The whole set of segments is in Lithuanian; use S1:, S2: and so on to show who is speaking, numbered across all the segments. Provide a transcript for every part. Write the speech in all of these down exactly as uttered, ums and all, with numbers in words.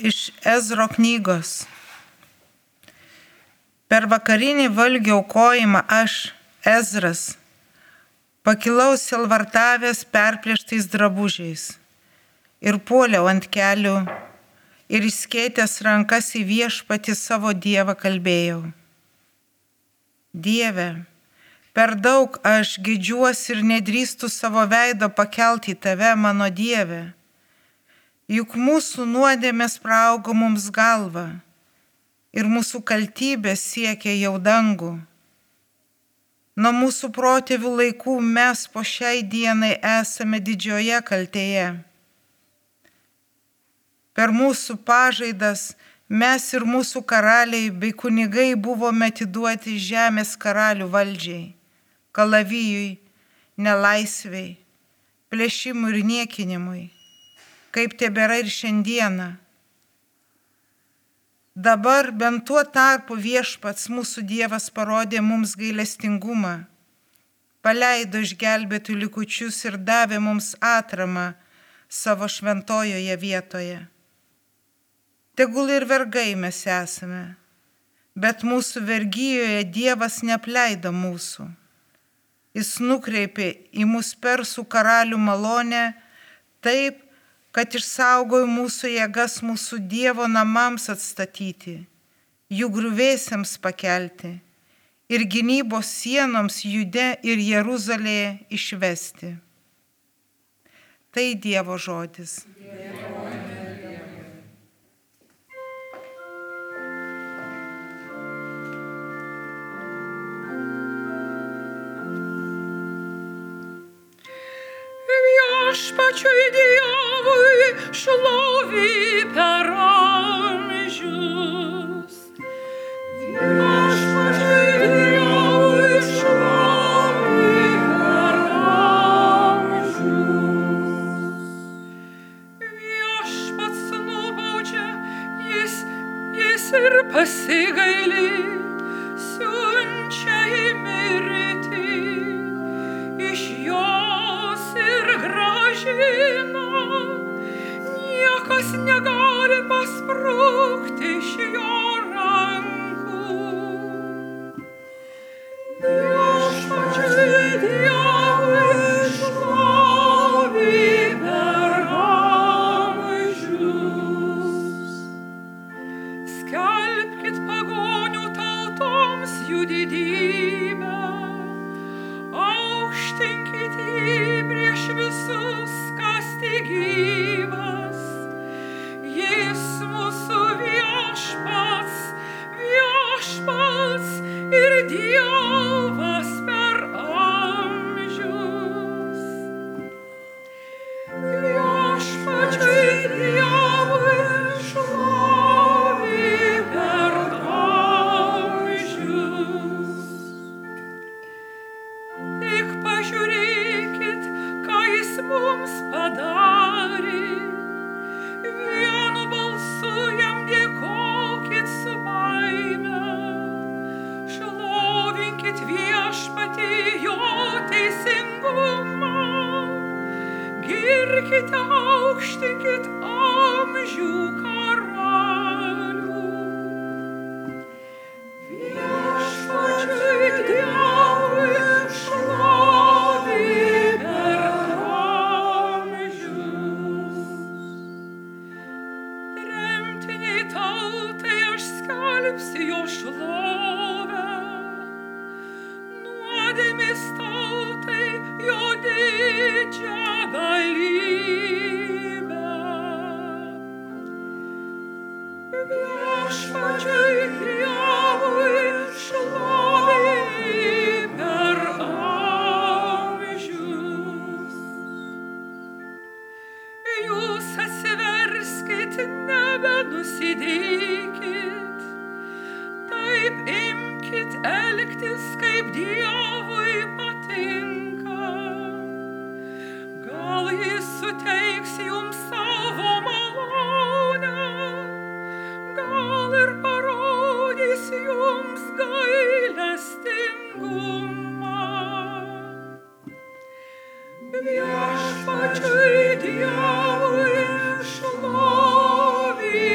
S1: Iš Ezro knygos. Per vakarinį valgio aukojimą aš, Ezras, pakilau silvartavęs perplėštais drabužiais ir puoliau ant kelių ir išskėtęs rankas į Viešpatį savo Dievą kalbėjau. Dieve, per daug aš gedžiuosi ir nedrįstu savo veido pakelti į tave, mano Dieve. Juk mūsų nuodėmės praaugo mums galvą ir mūsų kaltybės siekia jau dangų. Nuo mūsų protėvių laikų mes po šiai dienai esame didžioje kaltėje. Per mūsų pažaidas mes ir mūsų karaliai bei kunigai buvome atiduoti žemės karalių valdžiai, kalavijui, nelaisvei, plėšimui ir niekinimui, kaip tebėra ir šiandieną. Dabar bent tuo tarpu Viešpats mūsų Dievas parodė mums gailestingumą, paleido išgelbėtų likučius ir davė mums atramą savo šventojoje vietoje. Tegul ir vergai mes esame, bet mūsų vergijoje Dievas neapleido mūsų. Jis nukreipė į mus persų karalių malonę taip, kad išsaugojo mūsų jėgas mūsų Dievo namams atstatyti, jų griuvėsiams pakelti ir gynybos sienoms Jude ir Jeruzalėje išvesti. Tai Dievo žodis.
S2: Viešpačiui Dievui šlovė per amžius. Viešpačiui Dievui šlovė per amžius. Viešpats nubaudžia, jis, jis ir pasigaili, siunčia į mirtį iš jo. Niekas negali pasprukti iš jo rankų. Viešpačiui Dievui šlovė per amžius. Skelbkit pagonių tautoms jų didybę, aukštinkit jį prieš visus, kas tik gyvas. Jis mūsų viešpats, viešpats ir Dievas per amžius. Viešpačiui Dievui šlovė per amžius. Tik pažiūrėkit, ką jis mums padarė. Vienu balsu jam dėkokit su baime. Šlovinkit Viešpatį jo teisingumą. Girkite, aukštinkit amžių karalių. Viešpačiui Dievui šlovė per amžius. Tremtiniai tautai aš skelbsiu jo šlovę, nuodėmės tautai jo didžią galybę. Viešpačiui Dievui šlovė per amžius. Jūs atsiverskit, nebenusidėkit, taip imkit elgtis, kaip Dievui patinka. Gal jis suteiks jums savo malonę, gal ir parodys jums gailestingumą. Viešpačiui Dievui šlovė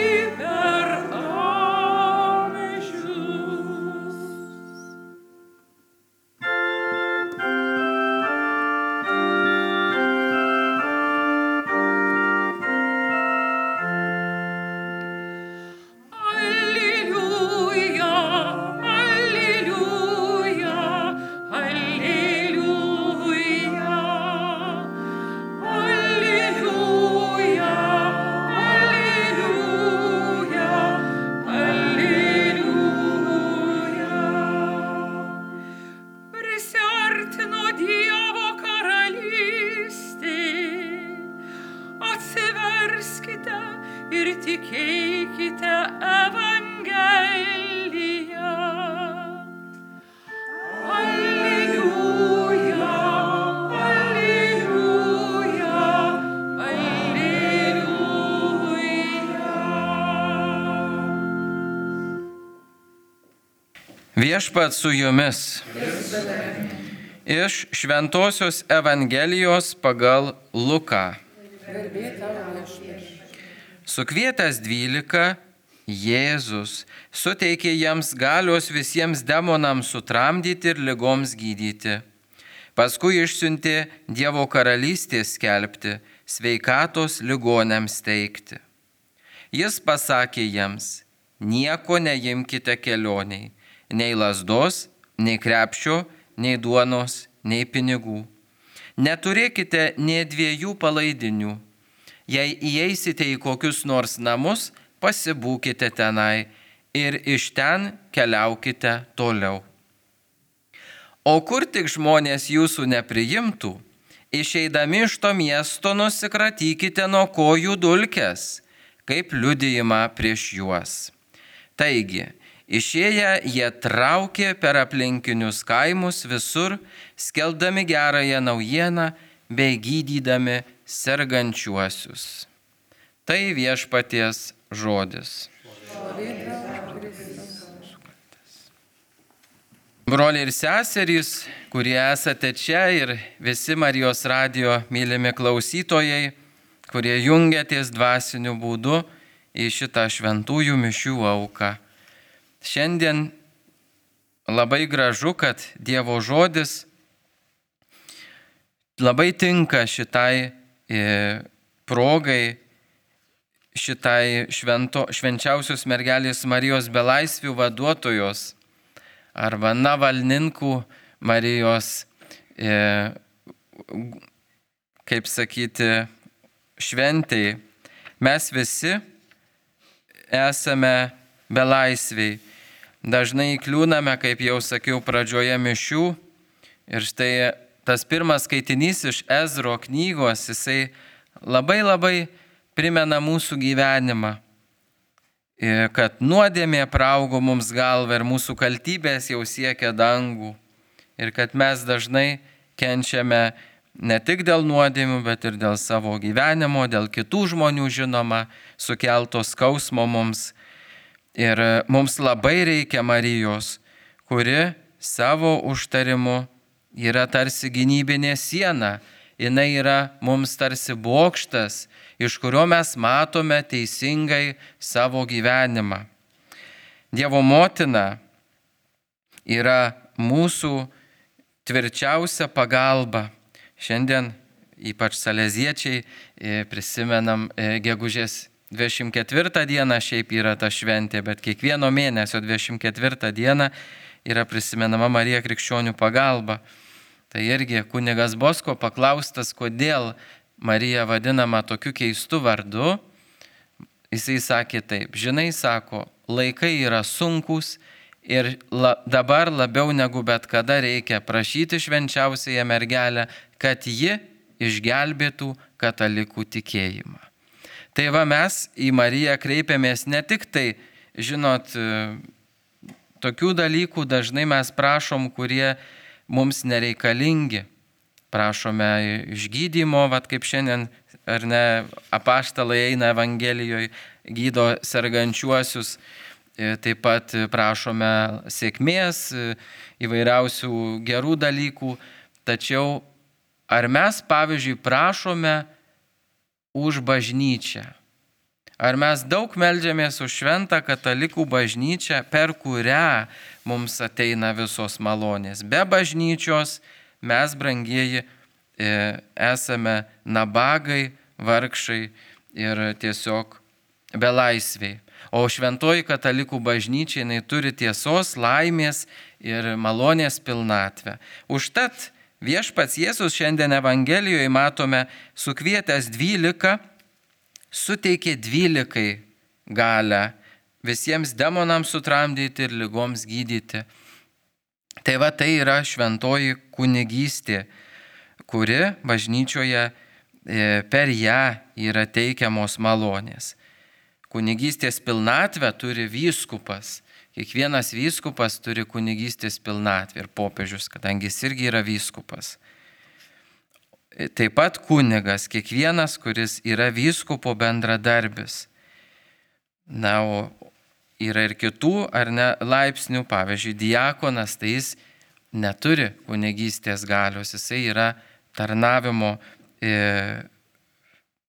S2: eikite Evangeliją. Alleluja, alleluja, alleluja.
S3: Viešpats su jumis. Iš Šventosios Evangelijos pagal Luką. Sukvietęs dvylika, Jėzus suteikė jiems galios visiems demonams sutramdyti ir ligoms gydyti. Paskui išsiuntė Dievo karalystės skelbti, sveikatos ligonėms teikti. Jis pasakė jiems, nieko neimkite kelioniai, nei lazdos, nei krepšio, nei duonos, nei pinigų. Neturėkite nė dviejų palaidinių. Jei įeisite į kokius nors namus, pasibūkite tenai ir iš ten keliaukite toliau. O kur tik žmonės jūsų nepriimtų, išeidami iš to miesto nusikratykite nuo kojų dulkes, kaip liudijimą prieš juos. Taigi, išėję jie traukė per aplinkinius kaimus visur, skelbdami gerąją naujieną bei gydydami sergančiuosius. Tai viešpaties žodis. Broliai ir seserys, kurie esate čia ir visi Marijos radijo mylimi klausytojai, kurie jungiatės dvasiniu būdu į šitą šventųjų mišių auką. Šiandien labai gražu, kad Dievo žodis labai tinka šitai e, progai, šitai švento, švenčiausios mergelės Marijos belaisvių vaduotojos arba Navalninkų Marijos, e, kaip sakyti, šventei. Mes visi esame belaisviai. Dažnai įkliūname, kaip jau sakiau pradžioje mišių. Ir štai tas pirmas skaitinys iš Ezro knygos, jisai labai labai primena mūsų gyvenimą. Kad nuodėmė praugo mums galvą ir mūsų kaltybės jau siekia dangų. Ir kad mes dažnai kenčiame ne tik dėl nuodėmių, bet ir dėl savo gyvenimo, dėl kitų žmonių žinoma, sukelto skausmo mums. Ir mums labai reikia Marijos, kuri savo užtarimu yra tarsi gynybinė siena. Jis yra mums tarsi bokštas, iš kurio mes matome teisingai savo gyvenimą. Dievo motina yra mūsų tvirčiausia pagalba. Šiandien ypač saleziečiai prisimenam gegužės dvidešimt ketvirtą dieną, šiaip yra ta šventė, bet kiekvieno mėnesio dvidešimt ketvirtą dieną yra prisimenama Marija Krikščionių pagalba. Tai irgi kunigas Bosko paklaustas, kodėl Marija vadinama tokiu keistu vardu, jisai sakė taip, žinai, sako, laikai yra sunkus ir la, dabar labiau negu bet kada reikia prašyti švenčiausiąją mergelę, kad ji išgelbėtų katalikų tikėjimą. Tai va mes į Mariją kreipiamės ne tik tai, žinot, tokių dalykų dažnai mes prašom, kurie mums nereikalingi. Prašome išgydymo, vat kaip šiandien, ar ne, apaštalai eina Evangelijoje, gydo sergančiuosius. Taip pat prašome sėkmės, įvairiausių gerų dalykų. Tačiau ar mes, pavyzdžiui, prašome už bažnyčią? Ar mes daug meldžiamės už šventą katalikų bažnyčią, per kurią mums ateina visos malonės? Be bažnyčios mes, brangieji, esame nabagai, vargšai ir tiesiog belaisviai. O šventoji katalikų bažnyčia, jinai turi tiesos, laimės ir malonės pilnatvę. Užtat viešpats Jėzus šiandien Evangelijoje matome sukvietęs dvylika, suteikė dvylikai galę visiems demonams sutramdyti ir ligoms gydyti. Tai va tai yra šventoji kunigystė, kuri bažnyčioje per ją yra teikiamos malonės. kunigystės pilnatvę turi vyskupas. Kiekvienas vyskupas turi kunigystės pilnatvę ir popiežius, kadangi jis irgi yra vyskupas. Taip pat kunigas, kiekvienas, kuris yra vyskupo bendradarbis. Na, o yra ir kitų ar ne laipsnių, pavyzdžiui, diakonas, tai jis neturi kunigystės galios, jisai yra tarnavimo, e,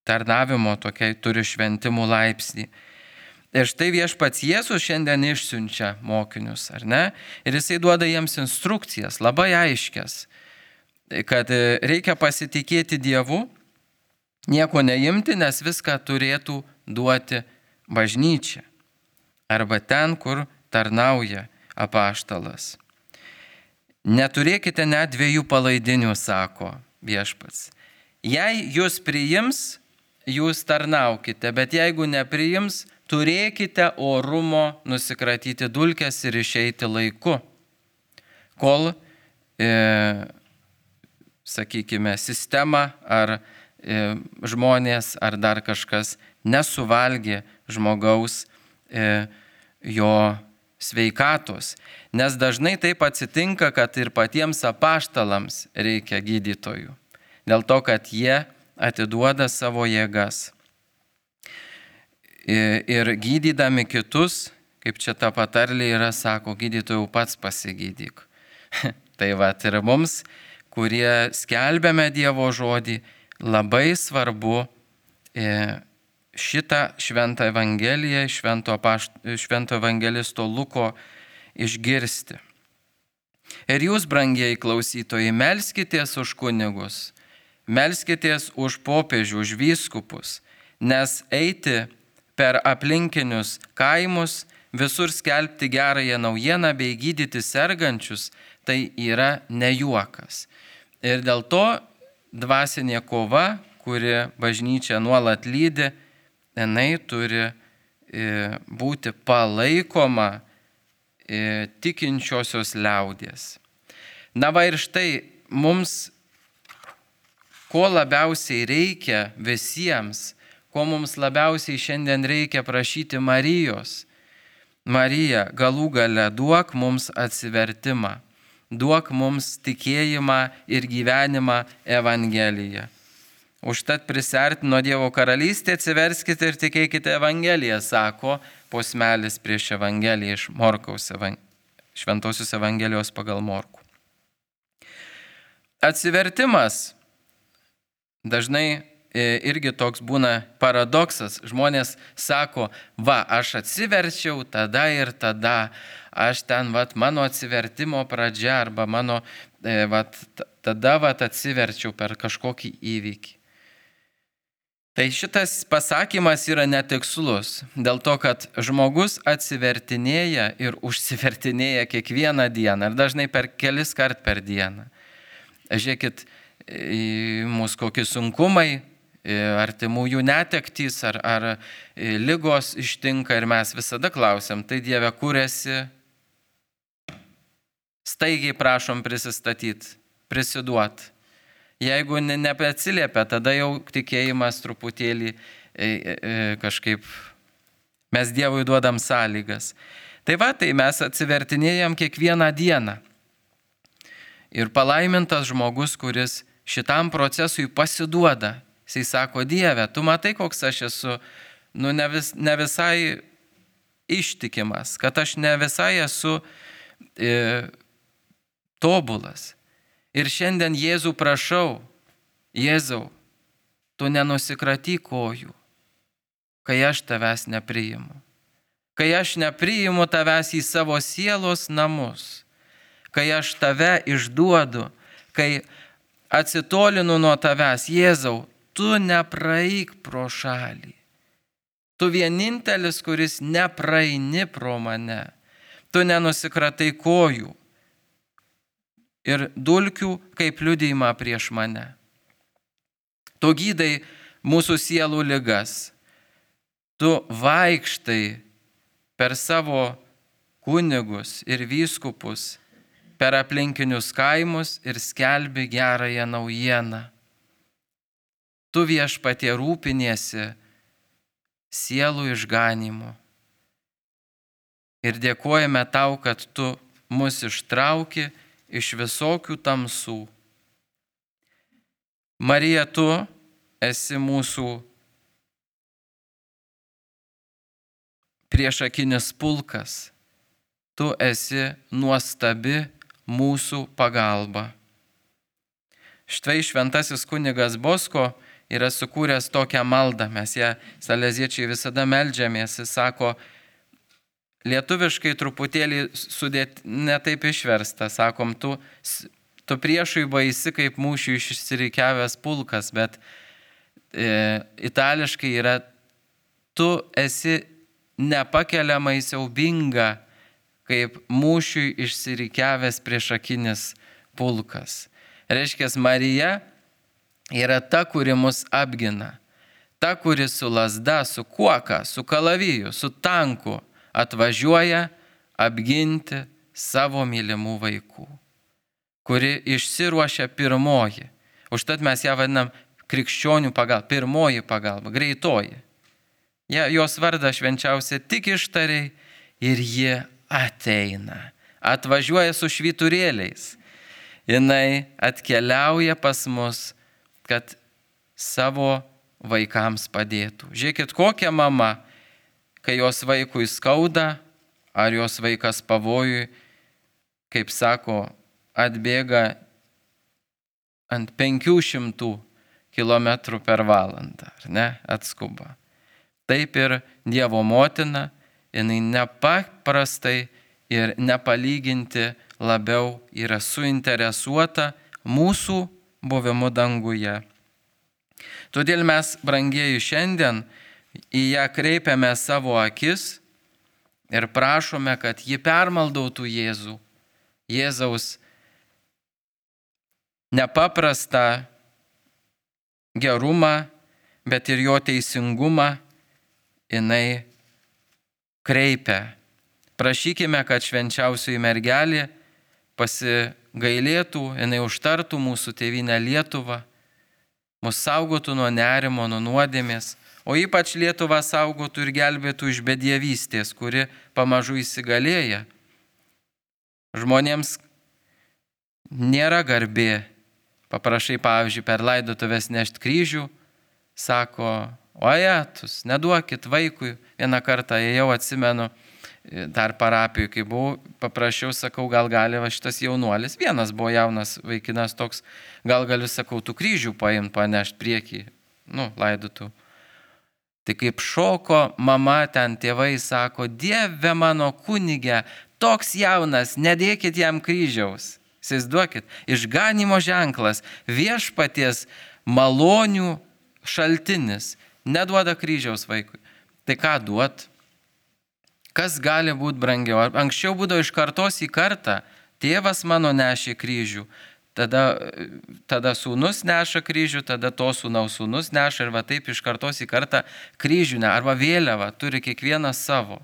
S3: tarnavimo tokia, turi šventimų laipsnį. Ir štai viešpats Jėzus šiandien išsiunčia mokinius, ar ne? Ir jisai duoda jiems instrukcijas, labai aiškias, kad reikia pasitikėti Dievu, nieko neimti, nes viską turėtų duoti bažnyčia. Arba ten, kur tarnauja apaštalas. Neturėkite net dviejų palaidinių, sako viešpats. Jei jūs priims, jūs tarnaukite, bet jeigu nepriims, turėkite orumo nusikratyti dulkes ir išeiti laiku, kol, e, sakykime, sistema ar e, žmonės ar dar kažkas nesuvalgė žmogaus e, jo sveikatos. Nes dažnai taip atsitinka, kad ir patiems apaštalams reikia gydytojų. Dėl to, kad jie atiduoda savo jėgas. Ir gydydami kitus, kaip čia ta patarlė yra, sako, gydytojau pats pasigydyk. Tai va, ir mums, kurie skelbiame Dievo žodį, labai svarbu šitą šventą evangeliją, švento, pašt, švento evangelisto Luko išgirsti. Ir jūs, brangieji klausytojai, melskitės už kunigus, melskitės už popiežių, už vyskupus, nes eiti per aplinkinius kaimus, visur skelbti gerąją naujieną bei gydyti sergančius, tai yra ne juokas. Ir dėl to dvasinė kova, kuri bažnyčia nuolat lydi, jinai turi būti palaikoma tikinčiosios liaudies. Na va ir štai mums, ko labiausiai reikia visiems, ko mums labiausiai šiandien reikia prašyti Marijos. Marija, galų gale duok mums atsivertimą, duok mums tikėjimą ir gyvenimą Evangeliją. Užtat prisertino Dievo karalystė, atsiverskite ir tikėkite Evangeliją, sako posmelis prieš Evangeliją iš Morkaus, Šventosios Evangelijos pagal Morkų. Atsivertimas dažnai irgi toks būna paradoksas. Žmonės sako, va, aš atsiverčiau tada ir tada, aš ten, va, mano atsivertimo pradžia arba mano, va, tada, va, atsiverčiau per kažkokį įvykį. Tai šitas pasakymas yra netikslus, dėl to, kad žmogus atsivertinėja ir užsivertinėja kiekvieną dieną, ir dažnai per kelis kart per dieną. Žiūrėkit, mūsų kokie sunkumai, artimųjų netektys ar, ar ligos ištinka ir mes visada klausiam, tai Dieve, kur esi? Staigiai prašom prisistatyti, prisiduot. Jeigu ne, nebeatsiliepia, tada jau tikėjimas truputėlį e, e, kažkaip mes Dievui duodam sąlygas. Tai va, tai mes atsivertinėjam kiekvieną dieną. Ir palaimintas žmogus, kuris šitam procesui pasiduoda. Jisai sako, Dieve, tu matai, koks aš esu, nu ne, vis, ne visai ištikimas, kad aš ne visai esu e, tobulas. Ir šiandien Jėzų prašau, Jėzau, tu nenusikratyk kojų, kai aš tavęs nepriimu. Kai aš nepriimu tavęs į savo sielos namus, kai aš tave išduodu, kai atsitolinu nuo tavęs, Jėzau, tu nepraeik pro šalį. Tu vienintelis, kuris nepraeini pro mane. Tu nenusikratai kojų ir dulkių kaip liudijimą prieš mane. Tu gydai mūsų sielų ligas. Tu vaikštai per savo kunigus ir vyskupus, per aplinkinius kaimus ir skelbi gerąją naujieną. Tu viešpatie rūpiniesi sielų išganimo. Ir dėkojame tau, kad tu mus ištrauki iš visokių tamsų. Marija, tu esi mūsų priešakinis pulkas. Tu esi nuostabi mūsų pagalba. Štai šventasis kunigas Bosko yra sukūręs tokią maldą. Mes ją saleziečiai visada meldžiamės. Jis sako, lietuviškai truputėlį sudėt, netaip išversta. Sakom, tu, tu priešui baisi kaip mūšių išsirikiavęs pulkas, bet e, itališkai yra, tu esi nepakeliamai siaubinga kaip mūšiui išsirikiavęs priešakinis pulkas. Reiškia, Marija yra ta, kuri mus apgina. Ta, kuri su lazda, su kuoka, su kalaviju, su tanku atvažiuoja apginti savo mylimų vaikų. Kuri išsiruošia pirmoji. Užtat mes ją vadinam krikščionių pagalba, pirmoji pagalba, greitoji. Ja, jos vardą švenčiausia tik ištariai ir ji ateina. Atvažiuoja su švyturėliais. Jinai atkeliauja pas mus, kad savo vaikams padėtų. Žiūrėkit, kokia mama, kai jos vaikui skauda, ar jos vaikas pavojui, kaip sako, atbėga ant penkių šimtų kilometrų per valandą, ar ne, atskuba. Taip ir Dievo motina, jinai nepaprastai ir nepalyginti labiau yra suinteresuota mūsų buvimu danguje. Todėl mes, brangieji, šiandien į ją kreipiame savo akis ir prašome, kad ji permaldautų Jėzų, Jėzaus nepaprastą gerumą, bet ir jo teisingumą jinai kreipia. Prašykime, kad švenčiausioji mergelė pasigailėtų, jinai užtartų mūsų tėvynę Lietuvą, mus saugotų nuo nerimo, nuo nuodėmės, o ypač Lietuvą saugotų ir gelbėtų iš bedievystės, kuri pamažu įsigalėja. Žmonėms nėra garbė. Paprašai, pavyzdžiui, per laidotuvės nešti kryžių, sako, o jetus, neduokit vaikui. Vieną kartą jau atsimenu, dar parapijų, kai buvau, paprašiau, sakau, gal gali va šitas jaunuolis, vienas buvo jaunas vaikinas toks, gal galiu, sakau, tų kryžių paimti, panešti priekį, nu, laidotų. Tai kaip šoko mama ten, tėvai sako, Dieve mano kunige, toks jaunas, nedėkit jam kryžiaus. Įsivaizduokit, išganimo ženklas, viešpaties malonių šaltinis, neduoda kryžiaus vaikui. Tai ką duot? Kas gali būti brangiau? Anksčiau būdavo iš kartos į kartą, tėvas mano nešė kryžių, tada, tada sūnus neša kryžių, tada to sūnaus sūnus neša ir va taip iš kartos į kartą kryžių, ne, arba vėliavą turi kiekvienas savo.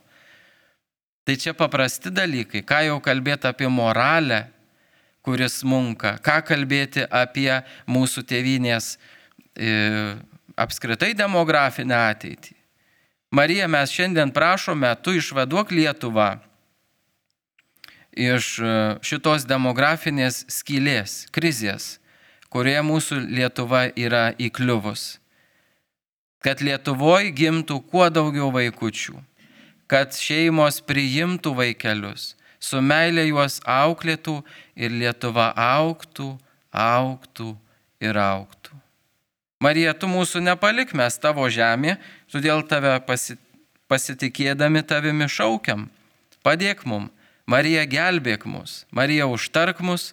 S3: Tai čia paprasti dalykai, ką jau kalbėti apie moralę, kuris munka, ką kalbėti apie mūsų tėvynės e, apskritai demografinę ateitį. Marija, mes šiandien prašome, tu išvaduok Lietuvą iš šitos demografinės skylės, krizės, kurioje mūsų Lietuva yra įkliuvus. Kad Lietuvoje gimtų kuo daugiau vaikučių, kad šeimos priimtų vaikelius, su meilė juos auklėtų ir Lietuva augtų, augtų ir augtų. Marija, tu mūsų nepalik, mes tavo žemė, todėl tave pasitikėdami tavimi šaukiam. Padėk mum, Marija, gelbėk mus, Marija, užtark mus,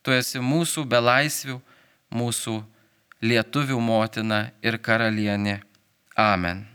S3: tu esi mūsų belaisvių, mūsų lietuvių motina ir karalienė. Amen.